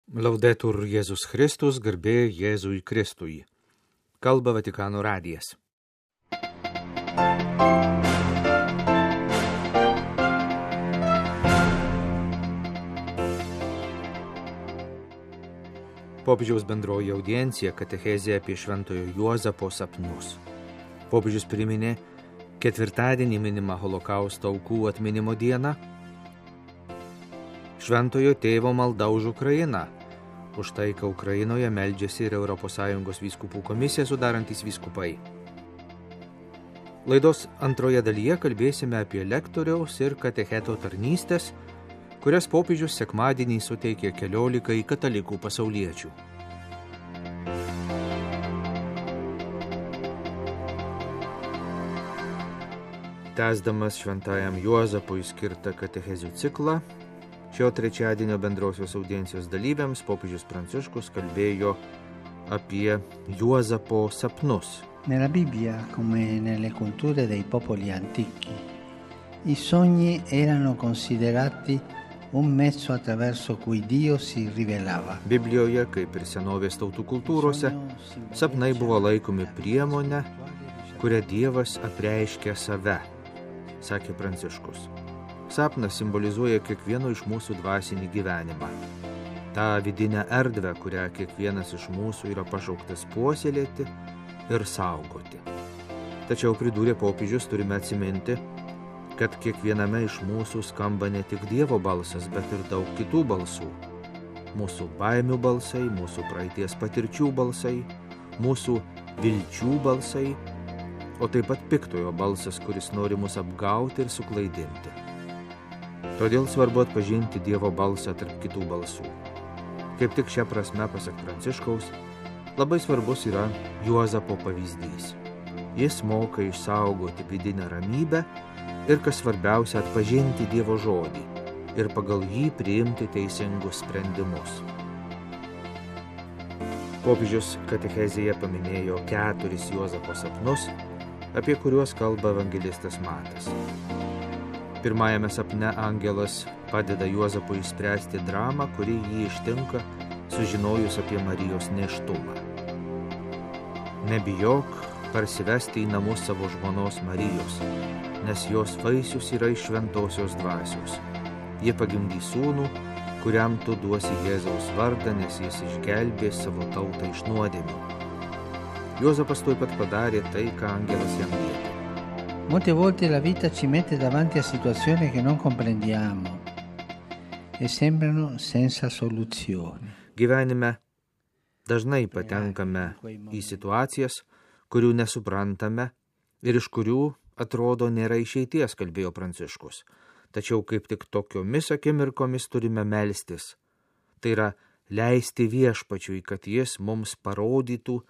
Laudetur Jėzus Kristus, garbė Jėzui Kristui. Kalba Vatikano radijas. Popiežiaus bendroji audiencija katechezė apie Šventojo Juozapo sapnus. Popiežius priminė ketvirtadienį minimą Holokausto aukų atminimo dieną, Šventojo tėvo malda už Ukrainą. Už taiką Ukrainoje meldžiasi ir ES vyskupų komisiją sudarantys vyskupai. Laidos antroje dalyje kalbėsime apie lektoriaus ir katecheto tarnystės, kurias popiežius sekmadienį suteikė 14 katalikų pasauliečių. Tęsdamas Šventajam Juozapui skirtą katechezių ciklą, šio trečiadienio bendrosios audiencijos dalyviams popiežius Pranciškus kalbėjo apie Juozapo sapnus. Nella Bibbia, come nelle culture dei popoli antichi, i sogni erano considerati un mezzo attraverso cui Dio si rivelava. Biblijoje, kaip ir senovės tautų kultūrose, sapnai buvo laikomi priemonė, kuria Dievas apreiškia save, sakė Pranciškus. Sapnas simbolizuoja kiekvieno iš mūsų dvasinį gyvenimą. Ta vidinę erdvę, kurią kiekvienas iš mūsų yra pašauktas puoselėti ir saugoti. Tačiau pridūrė popiežius, turime atsiminti, kad kiekviename iš mūsų skamba ne tik Dievo balsas, bet ir daug kitų balsų. Mūsų baimių balsai, mūsų praeities patirčių balsai, mūsų vilčių balsai, o taip pat piktojo balsas, kuris nori mus apgauti ir suklaidinti. Todėl svarbu atpažinti Dievo balsą tarp kitų balsų. Kaip tik šią prasme, pasak Pranciškaus, labai svarbus yra Juozapo pavyzdys. Jis moka išsaugoti vidinę ramybę ir, kas svarbiausia, atpažinti Dievo žodį ir pagal jį priimti teisingus sprendimus. Popiežius katechezėje paminėjo 4 Juozapo sapnus, apie kuriuos kalba evangelistas Matas. Pirmajame sapne angelas padeda Juozapui išspręsti dramą, kuri jį ištinka, sužinojus apie Marijos nėštumą. Nebijok parsivesti į namus savo žmonos Marijos, nes jos vaisius yra iš šventosios dvasios. Ji pagimdys sūnų, kuriam tu duosi Jėzaus vardą, nes jis išgelbės savo tautą iš nuodėmių. Juozapas tuoj pat padarė tai, ką angelas jam liepė. Molte volte la vita ci mette davanti a situazioni che non comprendiamo e sembrano senza soluzione. Gyvenime dažnai patenkame į situacijas, kurių nesuprantame ir iš kurių atrodo nėra išeities, kalbėjo Pranciškus. Tačiau kaip tik tokiomis akimirkomis turime melstis. Tai yra leisti Viešpačiui, kad jis mums parodytų,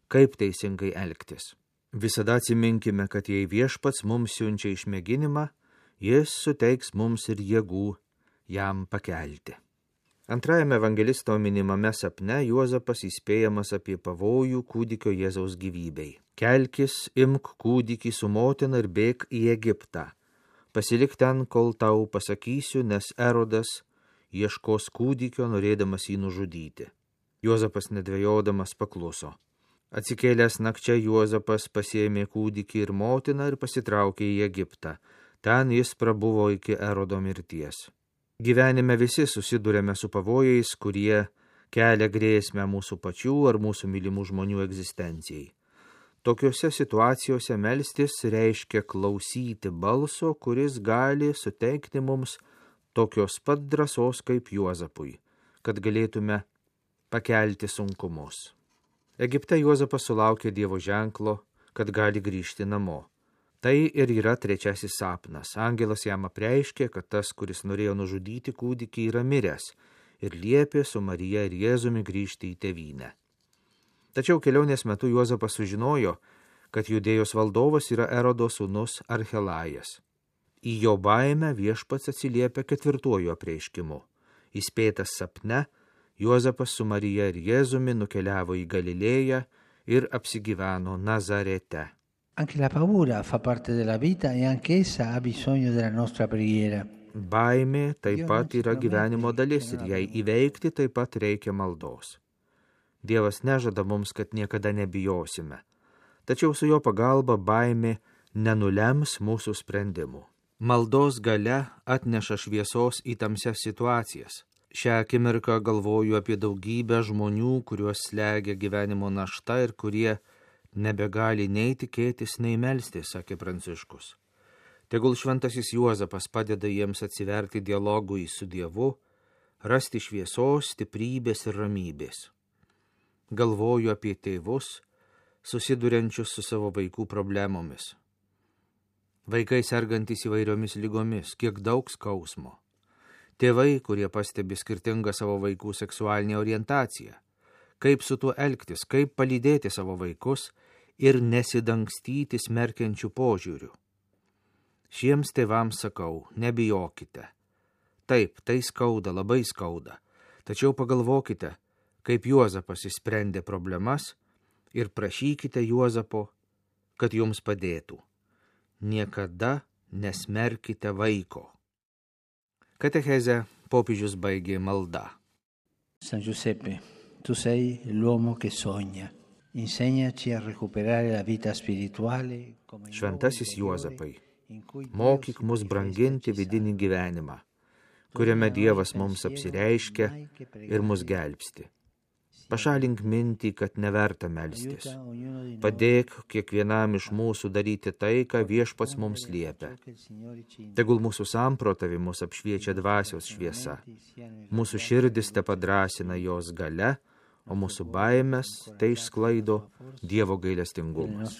kaip teisingai elgtis. Visada atsiminkime, kad jei Viešpats mums siunčia išmėginimą, jis suteiks mums ir jėgų jam pakelti. Antrajame evangelisto minimame sapne Juozapas įspėjamas apie pavojų kūdikio Jėzaus gyvybei. Kelkis, imk kūdikį su motina ir bėk į Egiptą. Pasilik ten, kol tau pasakysiu, nes Erodas ieškos kūdikio, norėdamas jį nužudyti. Juozapas nedvejodamas pakluso. Atsikėlęs nakčia Juozapas pasiėmė kūdikį ir motiną ir pasitraukė į Egiptą. Ten jis prabuvo iki Erodo mirties. Gyvenime visi susidurėme su pavojais, kurie kelia grėsmę mūsų pačių ar mūsų mylimų žmonių egzistencijai. Tokiose situacijose melstis reiškia klausyti balso, kuris gali suteikti mums tokios pat drąsos kaip Juozapui, kad galėtume pakelti sunkumus. Egipte Juozapas sulaukė Dievo ženklo, kad gali grįžti namo. Tai ir yra 3 sapnas. Angelas jam apreiškė, kad tas, kuris norėjo nužudyti kūdikį, yra miręs ir liepė su Marija ir Jėzumi grįžti į tėvynę. Tačiau kelionės metu Juozapas sužinojo, kad Judėjos valdovas yra Erodo sūnus Archelajas. Į jo baimę Viešpats atsiliepia 4 apreiškimu. Įspėtas sapne, Juozapas su Marija ir Jėzumi nukeliavo į Galilėją ir apsigyveno Nazarete. Anche la paura fa parte della vita e anche essa ha bisogno della nostra preghiera. Baimė taip pat yra gyvenimo dalis ir jai įveikti taip pat reikia maldos. Dievas nežada mums, kad niekada nebijosime, tačiau su jo pagalba baimė nenulems mūsų sprendimų. Maldos galia atneša šviesos į tamsias situacijas. Šią akimirką galvoju apie daugybę žmonių, kuriuos slegia gyvenimo našta ir kurie nebegali nei tikėtis, nei melstis, sakė Pranciškus. Tegul šventasis Juozapas padeda jiems atsiverti dialogui su Dievu, rasti šviesos, stiprybės ir ramybės. Galvoju apie tėvus, susiduriančius su savo vaikų problemomis. Vaikai sergantys įvairiomis lygomis, kiek daug skausmo. Tėvai, kurie pastebi skirtingą savo vaikų seksualinę orientaciją. Kaip su tuo elgtis, kaip palydėti savo vaikus ir nesidangstyti smerkiančių požiūrių. Šiems tėvams sakau, nebijokite. Taip, tai skauda, labai skauda. Tačiau pagalvokite, kaip Juozapas išsprendė problemas ir prašykite Juozapo, kad jums padėtų. Niekada nesmerkite vaiko. Katechezę popiežius baigė malda. San Giuseppe, tu sei l'uomo che sogna. Insegnaci a recuperare la vita spirituale. Šventasis Juozapai, mokyk mus branginti vidinį gyvenimą, kuriame Dievas mums apsireiškia ir mus gelbsti. Pašalink mintį, kad neverta melstis. Padėk kiekvienam iš mūsų daryti tai, ką Viešpats mums liepia. Tegul mūsų samprotavimus apšviečia dvasios šviesa. Mūsų širdis te padrasina jos galia, o mūsų baimės tai išsklaido Dievo gailestingumas.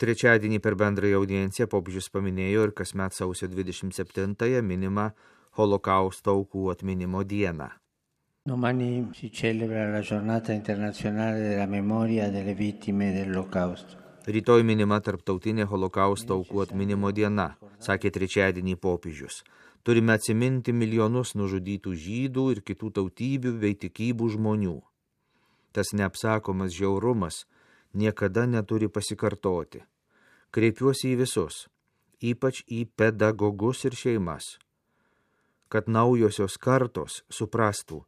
Trečiadienį per bendrąją audienciją popiežius paminėjo ir kasmet sausio 27-ąją minimą Holokausto aukų atminimo dieną. Domani si celebra la giornata internazionale della memoria delle vittime dell'Olocausto. Rytoj minima tarptautinė Holokausto aukų atminimo diena, sakė trečiadienį popiežius. Turime atsiminti milijonus nužudytų žydų ir kitų tautybių bei tikybų žmonių. Tas neapsakomas žiaurumas niekada neturi pasikartoti. Kreipiuosi į visus, ypač į pedagogus ir šeimas, kad naujosios kartos suprastų,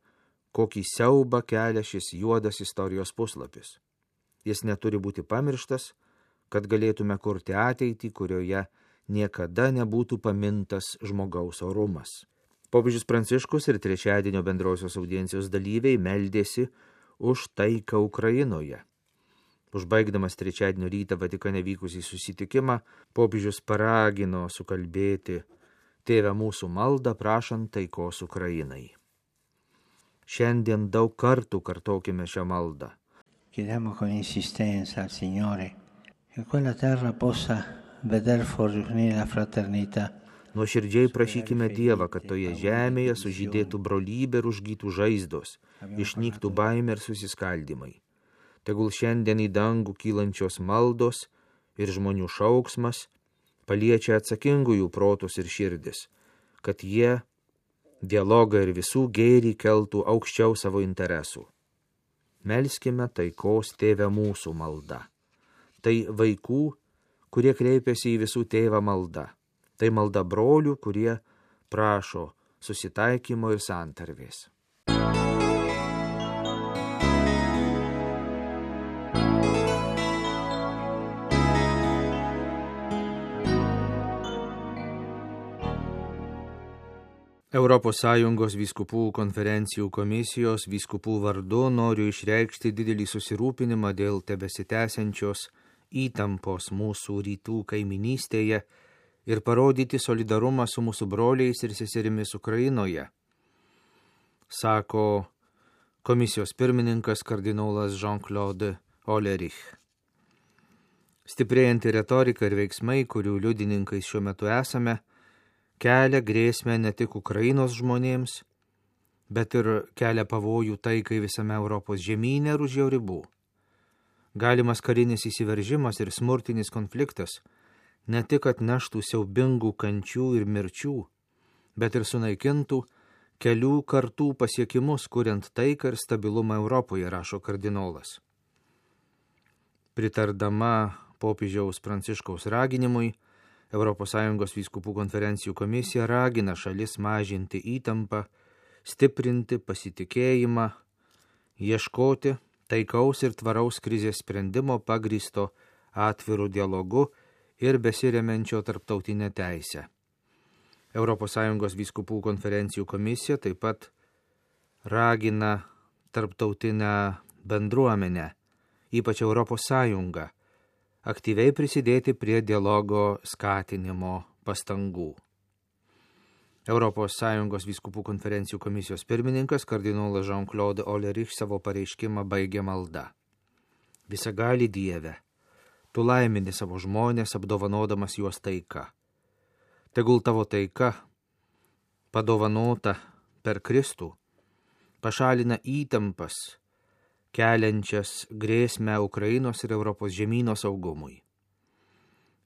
kokį siaubą kelia šis juodas istorijos puslapis. Jis neturi būti pamirštas, kad galėtume kurti ateitį, kurioje niekada nebūtų pamintas žmogaus orumas. Popiežius Pranciškus ir trečiadienio bendrosios audiencijos dalyviai meldėsi už taiką Ukrainoje. Užbaigdamas trečiadienio rytą Vatikane vykusį susitikimą, popiežius paragino sukalbėti Tėve mūsų maldą prašant taikos Ukrainai. Šiandien daug kartų kartokime šią maldą. Chiediamo con insistenza al Signore che quella terra possa veder fornire la fraternità. Nuoširdžiai prašykime Dievą, kad toje žemėje sužydėtų brolybė ir užgytų žaizdos, išnyktų baimė ir susiskaldymai. Tegul šiandien į dangų kylančios maldos ir žmonių šauksmas paliečia atsakingųjų protus ir širdis, kad jie dialogą ir visų gėrį keltų aukščiau savo interesų. Melskime taikos Tėve mūsų malda. Tai vaikų, kurie kreipiasi į visų tėvą malda. Tai malda brolių, kurie prašo susitaikymo ir santarvės. Europos Sąjungos vyskupų konferencijų komisijos vyskupų vardu noriu išreikšti didelį susirūpinimą dėl tebesitęsiančios įtampos mūsų rytų kaiminystėje ir parodyti solidarumą su mūsų broliais ir seserimis Ukrainoje, sako komisijos pirmininkas kardinolas Jean-Claude Hollerich. Stiprėjanti retorika ir veiksmai, kurių liudininkais šiuo metu esame, kelia grėsmę ne tik Ukrainos žmonėms, bet ir kelia pavojų taikai visame Europos žemyne ir už jo ribų. Galimas karinis įsiveržimas ir smurtinis konfliktas ne tik atneštų siaubingų kančių ir mirčių, bet ir sunaikintų kelių kartų pasiekimus, kuriant taiką ir stabilumą Europoje, rašo kardinolas. Pritardama popiežiaus Pranciškaus raginimui, ES vyskupų konferencijų komisija ragina šalis mažinti įtampą, stiprinti pasitikėjimą, ieškoti taikaus ir tvaraus krizės sprendimo pagrįsto atvirų dialogu ir besiremiančio tarptautinę teisę. ES vyskupų konferencijų komisija taip pat ragina tarptautinę bendruomenę, ypač ES, aktyviai prisidėti prie dialogo skatinimo pastangų. ES vyskupų konferencijų komisijos pirmininkas kardinolas Jean-Claude Ollerich savo pareiškimą baigė malda. Visagali Dieve, tu laimini savo žmonės, apdovanodamas juos taika. Tegul tavo taika, padovanota per Kristų, pašalina įtampas, keliančias grėsmę Ukrainos ir Europos žemyno saugumui.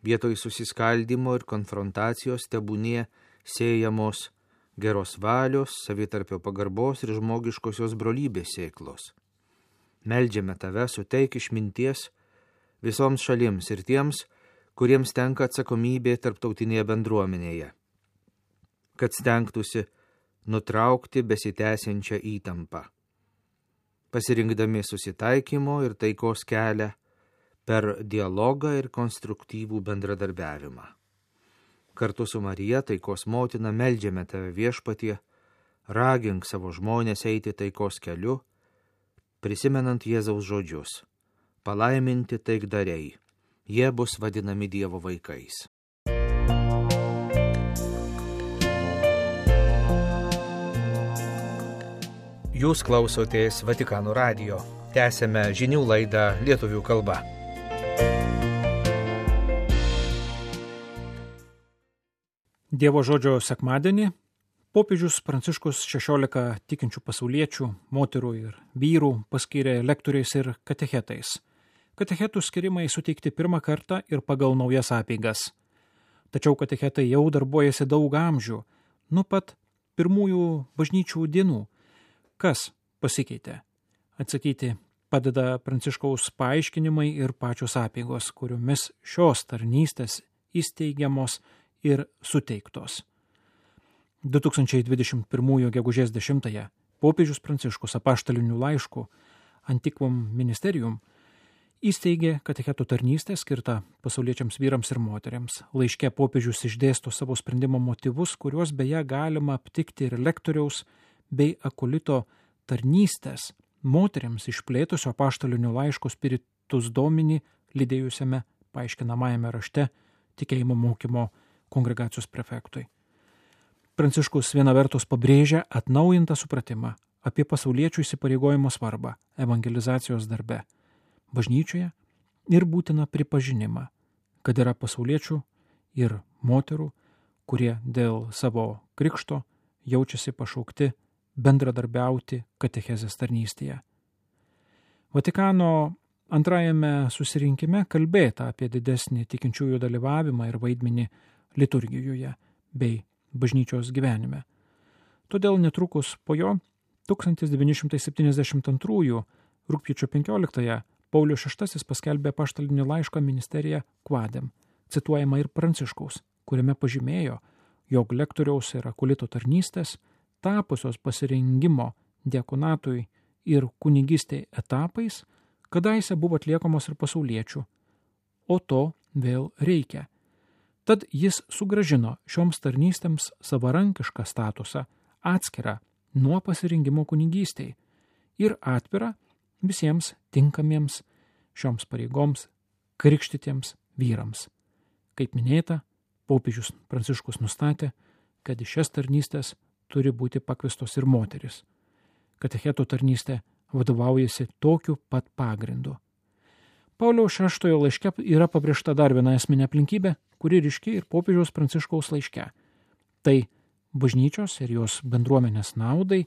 Vietoj susiskaldimo ir konfrontacijos tebūnie sėjamos geros valios, savitarpio pagarbos ir žmogiškosios brolybės sėklos. Meldžiame tave, suteik išminties visoms šalims ir tiems, kuriems tenka atsakomybė tarptautinėje bendruomenėje, kad stengtųsi nutraukti besitęsiančią įtampą, pasirinkdami susitaikymo ir taikos kelią per dialogą ir konstruktyvų bendradarbiavimą. Kartu su Marija, taikos motina, meldžiame tave viešpatie, ragink savo žmonės eiti taikos keliu, prisimenant Jėzaus žodžius: palaiminti taikdariai, jie bus vadinami Dievo vaikais. Jūs klausotės Vatikano radijo. Tęsėme žinių laidą lietuvių kalba. Dievo žodžio sekmadienį popiežius Pranciškus 16 tikinčių pasauliečių, moterų ir vyrų paskyrė lektoriais ir katechetais. Katechetų skirimai suteikti pirmą kartą ir pagal naujas apeigas. Tačiau katechetai jau darbuojasi daug amžių, nuo pat pirmųjų bažnyčių dienų. Kas pasikeitė? Atsakyti padeda Pranciškaus paaiškinimai ir pačios apeigos, kuriomis šios tarnystės įsteigiamos ir suteiktos. 2021 gegužės 10 popiežius Pranciškus apaštaliniu laišku Antiquum Ministerium įsteigė katechetų tarnystę skirtą pasauliečiams vyrams ir moteriams. Laiške popiežius išdėsto savo sprendimo motyvus, kuriuos beje galima aptikti ir lektoriaus bei akolito tarnystės moteriams išplėtusio apaštaliniu laišku Spiritus Domini lydėjusiame paaiškinamajame rašte tikėjimo mokymo kongregacijos prefektui. Pranciškus viena vertus pabrėžia atnaujintą supratimą apie pasauliečių įsipareigojimo svarbą evangelizacijos darbe bažnyčioje ir būtiną pripažinimą, kad yra pasauliečių ir moterų, kurie dėl savo krikšto jaučiasi pašaukti bendradarbiauti katechezės tarnystėje. Vatikano antrajame susirinkime kalbėta apie didesnį tikinčiųjų dalyvavimą ir vaidmenį liturgijoje bei bažnyčios gyvenime. Todėl netrukus po jo 1972 rugpjūčio 15 Paulius VI paskelbė apaštalinį laišką Ministerija Quadem, cituojama ir Pranciškaus, kuriame pažymėjo, jog lektoriaus ir akolito tarnystės tapusios pasirengimo diakonatui ir kunigystei etapais kadaise buvo atliekamos ir pasauliečių, o to vėl reikia. Tad jis sugrąžino šioms tarnystėms savarankišką statusą, atskirą nuo pasirinkimo kunigystei ir atvirą visiems tinkamiems šioms pareigoms krikštytiems vyrams. Kaip minėta, popiežius Pranciškus nustatė, kad į šias tarnystės turi būti pakviestos ir moteris. Katechetų tarnystė vadovaujasi tokiu pat pagrindu. Pauliaus VI laiške yra pabrėžta dar viena esminė aplinkybė, kuri ryški ir popiežiaus Pranciškaus laiške. Tai bažnyčios ir jos bendruomenės naudai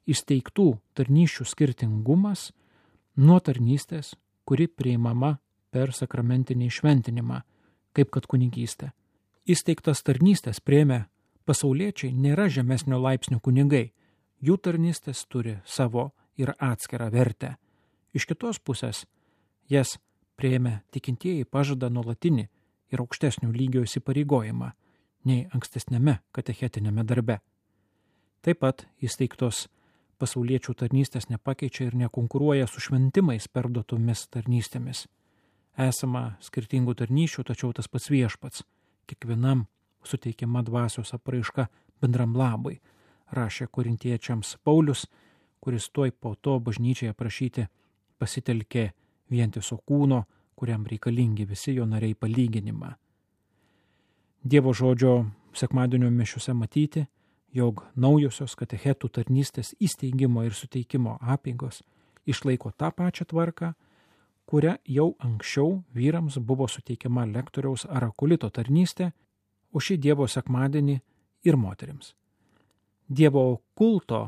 įsteigtų tarnysčių skirtingumas nuo tarnystės, kuri priimama per sakramentinį šventinimą, kaip kad kunigystė. Įsteigtas tarnystės priėmę pasauliečiai nėra žemesnio laipsnio kunigai, jų tarnystės turi savo ir atskirą vertę. Iš kitos pusės, jas priėmę tikintieji pažada nuolatinį ir aukštesnio lygio įsipareigojimą nei ankstesnėme katechetinėme darbe. Taip pat įsteigtos pasauliečių tarnystės nepakeičia ir nekonkuruoja su šventimais perduotomis tarnystėmis. Esama skirtingų tarnysčių, tačiau tas pats viešpats, kiekvienam suteikiama dvasios apraiška bendram labui, rašė korintiečiams Paulius, kuris tuoj po to bažnyčiai aprašyti pasitelkė vientiso kūno, kuriam reikalingi visi jo nariai palyginimą. Dievo žodžio sekmadienio mišiose matyti, jog naujosios katechetų tarnystės įsteigimo ir suteikimo apeigos išlaiko tą pačią tvarką, kuria jau anksčiau vyrams buvo suteikiama lektoriaus ar akulito tarnystė, o šį Dievo sekmadienį ir moterims. Dievo kulto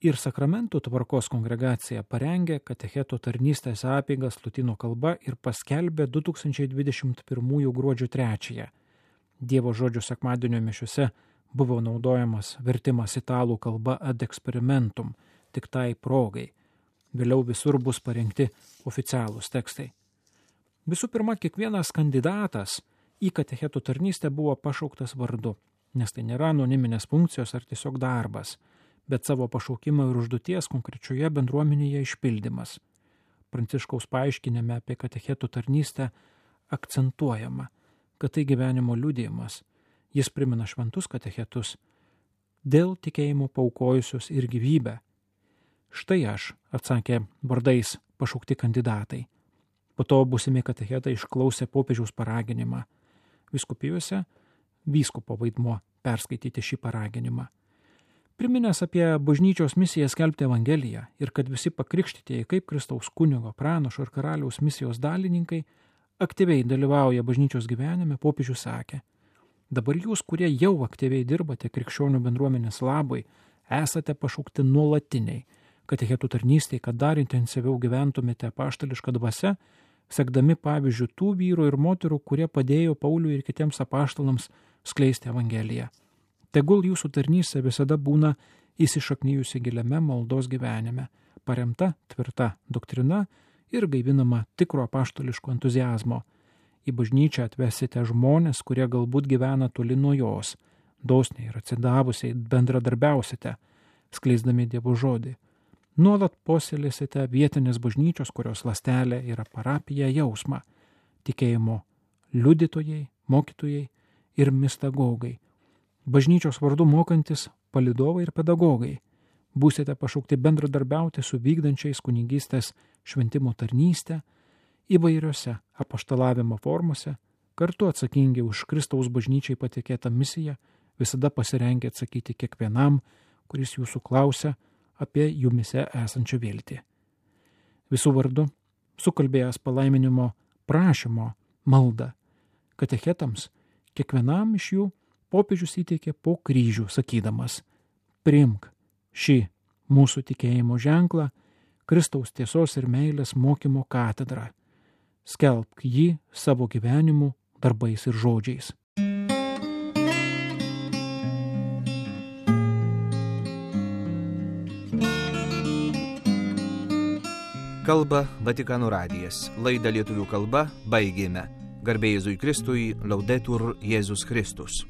ir sakramentų tvarkos kongregacija parengė katecheto tarnystės apeigas lotynų kalba ir paskelbė 2021 gruodžio 3. Dievo žodžio sekmadienio mišiuose buvo naudojamas vertimas italų kalba ad experimentum, tik tai progai. Vėliau visur bus parengti oficialūs tekstai. Visų pirma, kiekvienas kandidatas į katechetų tarnystę buvo pašauktas vardu, nes tai nėra anoniminės funkcijos ar tiesiog darbas, bet savo pašaukimo ir užduoties konkrečioje bendruomenėje išpildymas. Pranciškaus paaiškinime apie katechetų tarnystę akcentuojama, kad tai gyvenimo liudijimas. Jis primena šventus katechetus, dėl tikėjimo paaukojusius ir gyvybę. Štai aš, atsakė vardais pašaukti kandidatai. Po to būsimi katechetai išklausė popiežiaus paraginimą. Vyskupijose vyskupo vaidmuo perskaityti šį paraginimą. Priminęs apie bažnyčios misiją skelbti Evangeliją ir kad visi pakrikštytieji kaip Kristaus kunigo, pranašo ir karaliaus misijos dalininkai aktyviai dalyvauja bažnyčios gyvenime, popiežius sakė: dabar jūs, kurie jau aktyviai dirbate krikščionių bendruomenės labui, esate pašaukti nuolatiniai katechetų tarnystei, kad dar intensyviau gyventumėte apaštališką dvasią, sekdami pavyzdžių tų vyrų ir moterų, kurie padėjo Pauliui ir kitiems apaštalams skleisti Evangeliją. Tegul jūsų tarnystė visada būna įsišaknyjusi giliame maldos gyvenime, paremta tvirta doktrina ir gaivinama tikro apaštališko entuziazmo. Į bažnyčią atvesite žmonės, kurie galbūt gyvena toli nuo jos, dosniai ir atsidavusiai bendradarbiausite, skleisdami Dievo žodį. Nuolat puoselėsite vietinės bažnyčios, kurios ląstelė yra parapija jausmą, tikėjimo liudytojai, mokytojai ir mistagogai, bažnyčios vardu mokantis palydovai ir pedagogai. Būsite pašaukti bendradarbiauti su vykdančiais kunigystės šventimo tarnystę įvairiose apaštalavimo formose, kartu atsakingi už Kristaus bažnyčiai patikėtą misiją, visada pasirengę atsakyti kiekvienam, kuris jūsų klausia apie jumise esančią viltį. Visų vardu, sukalbėjęs palaiminimo prašymo maldą katechetams, kiekvienam iš jų popiežius įteikė po kryžių, sakydamas: priimk šį mūsų tikėjimo ženklą, Kristaus tiesos ir meilės mokymo katedrą. Skelbk jį savo gyvenimu, darbais ir žodžiais. Kalba Vatikano radijas. Laidą lietuvių kalba baigėme. Garbė Jėzui Kristui, Laudetur Jėzus Kristus.